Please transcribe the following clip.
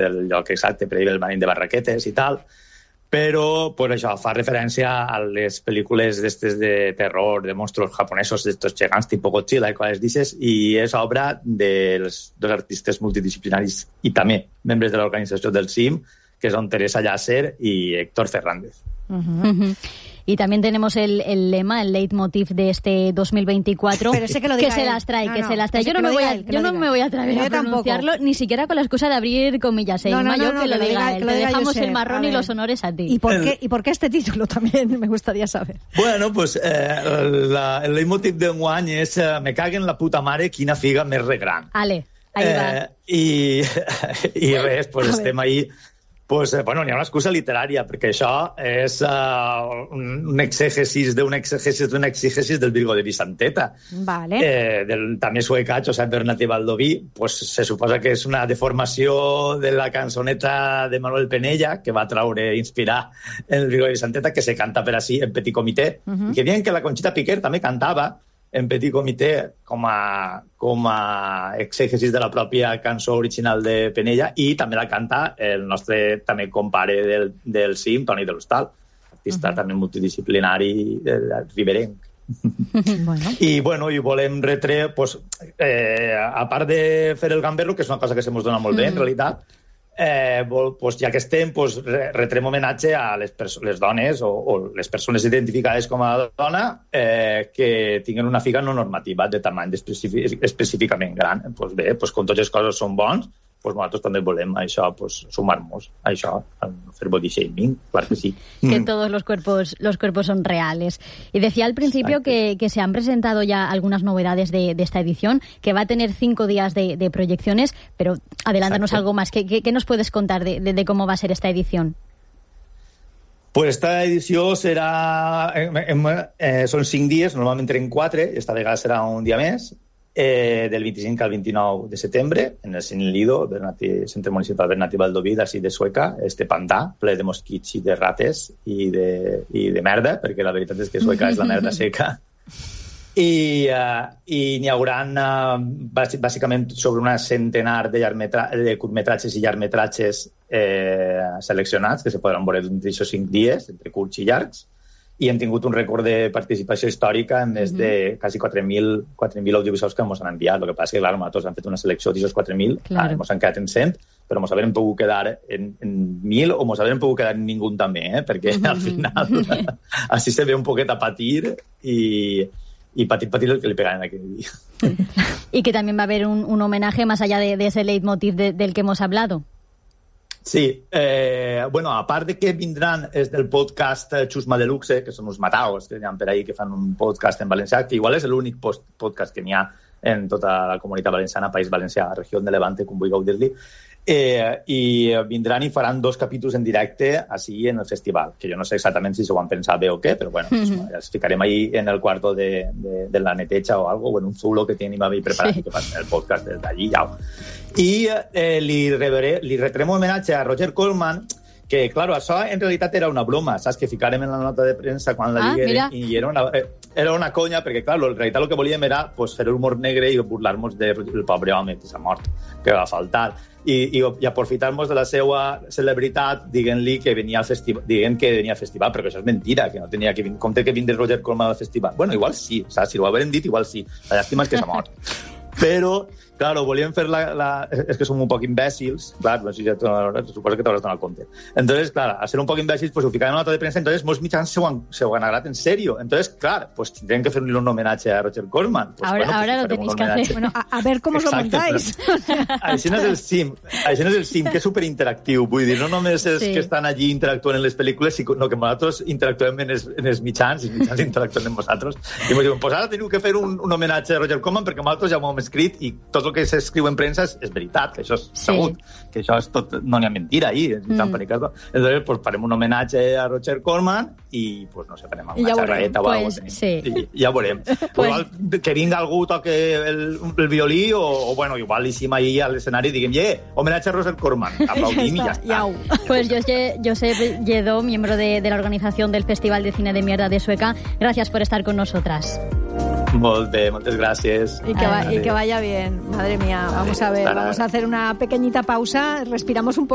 el lloc exacte per dir el Marín de Barraquetes i tal, però pues, això fa referència a les pel·lícules d'estes de terror, de monstruos japonesos, d'estos gegants tipus Godzilla i coses d'aixes, i és obra dels dos artistes multidisciplinaris i també membres de l'organització del CIM, que son Teresa Llàcer y Héctor Fernández. Y también tenemos el lema, el leitmotiv de este 2024, pero sé que lo diga que se las trae, que se las trae. Yo no me voy a atrever a pronunciarlo, ni siquiera con la excusa de abrir comillas. Mayo, que lo diga él. Te dejamos el marrón y los honores a ti. ¿Y por qué este título también? Me gustaría saber. Bueno, pues el leitmotiv d'enguany és me caguen la puta mare, quina figa més regran. Ale, ahí va. I res, pues estem ahí... Pues, bueno, n'hi ha una excusa literària, perquè això és un exègesis d'un exègesis del Virgo de Vicenteta. Vale. També Sueca, Josep Bernat i Baldoví, pues se suposa que és una deformació de la cançoneta de Manuel Penella, que va traure, inspirar en el Virgo de Vicenteta, que se canta per així en Petit Comité, i que diuen que la Conxita Piquer també cantava en Petit Comité com a exègesis de la pròpia cançó original de Penella, i també la canta el nostre també compare del CIM, Toni de l'Hostal, artista també multidisciplinari riberenc. I volem retre, pues, a part de fer el gamberro, que és una cosa que se mos dona molt bé en realitat, pues, ja que estem, pues, retrem homenatge a les dones o les persones identificades com a dona que tinguen una figa no normativa de tamany específicament gran. Pues bé, pues, com totes les coses són bons, pues nosaltres també volem això, pues, sumar-nos a això, a fer body shaming, claro que sí. Que todos los cuerpos son reales. Y decía al principio que se han presentado ya algunas novedades de esta edición, que va a tener 5 días de proyecciones, pero adelántanos algo más. ¿Qué nos puedes contar de cómo va a ser esta edición? Pues esta edició serà... són 5 dies, normalment en 4, esta vegada serà un dia més, del 25 al 29 de setembre, en el Cine Lido, Centre Municipal Bernat i Baldoví, d'ací de Sueca, este pantà, ple de mosquits i de rates i de merda, perquè la veritat és que Sueca és la merda seca. I n'hi haurà bàsicament sobre una centenar de curtmetratges i llargmetratges seleccionats, que se podran veure durant aquests 5 dies, entre curts i llargs, i hem tingut un rècord de participació històrica en més de quasi 4.000 audiovisuals que ens han enviat. El que passa és que, clar, nosaltres hem fet una selecció d'aquests 4.000, ens han quedat en 100, però ens haurem pogut quedar en 1.000 o ens haurem pogut quedar en ningú també, perquè al final així se ve un poquet a patir y patir el que le pegan en aquel día. Y que también va a haber un homenaje más allá de ese leitmotiv del que hemos hablado. Sí, bueno, a part de que vindran és del podcast Chusma Deluxe, que són uns mataos que hi ha per ahí que fan un podcast en valencià, que igual és l'únic podcast que n'hi ha en tota la comunitat valenciana, País Valencià, regió de Levante, com vulgueu dir-li, i vindran i faran 2 capítols en directe així en el festival, que jo no sé exactament si s'ho han pensat bé o què, però bueno, ja els ficarem ahí en el cuarto de la neteja o algo, o en un zulo que tenim ahí preparat i que fan el podcast des d'allí, ja. I li retrem homenatge a Roger Corman, que, claro, això en realitat era una broma, saps? Que ficarem en la nota de premsa quan la digueren, i era una conya, perquè, clar, en realitat el que volíem era pues, fer humor negre i burlar-nos del pobre home que s'ha mort, que va faltar. I aprofitar-nos de la seva celebritat dient-li que venia al festival, perquè això és mentira, que no tenia que venir, com té que vindre Roger Corman al festival. Bueno, igual sí, saps? Si ho haurem dit, igual sí. La llàstima és que s'ha mort. Però, claro, volíem fer és que som un poc imbècils, clar, no sé si suposo que t'hauràs donat compte. Entonces, clar, al ser un poc imbècils, pues ho ficarem en una nota de premsa, entonces molts mitjans se ho han agradat en serio. Entonces, clar, pues tindrem que fer-li un homenatge a Roger Corman. Pues, ahora lo tenéis que hacer. Bueno, a ver cómo os lo montáis. Això no és el CIM, que és superinteractiu. Vull dir, no només és que estan allí interactuant en les pel·lícules, sinó que nosaltres interactuem en els mitjans, i els mitjans interactuen amb nosaltres. I ens diuen, pues ara teniu que fer un homenatge a Roger Corman perquè nosaltres ja ho hem escrit i tot el que s'escriu en premsa és veritat, que això és segut, que això és tot, no n'hi ha mentira ahí, entonces pues farem un homenatge a Roger Corman i pues no sé, farem una xerraeta o alguna cosa, i ja veurem. Igual que vinga algú toque el violí o bueno, igual hicim ahí a l'escenari i diguem, homenatge a Roger Corman, aplaudim i ja està. Pues Josep Lledó, miembro de la organización del Festival de Cine de Mierda de Sueca, gracias por estar con nosotras. Molt bé, moltes gràcies. Y que vaya bien, madre mía. Vamos a ver, vamos a hacer una pequeñita pausa, respiramos un poco.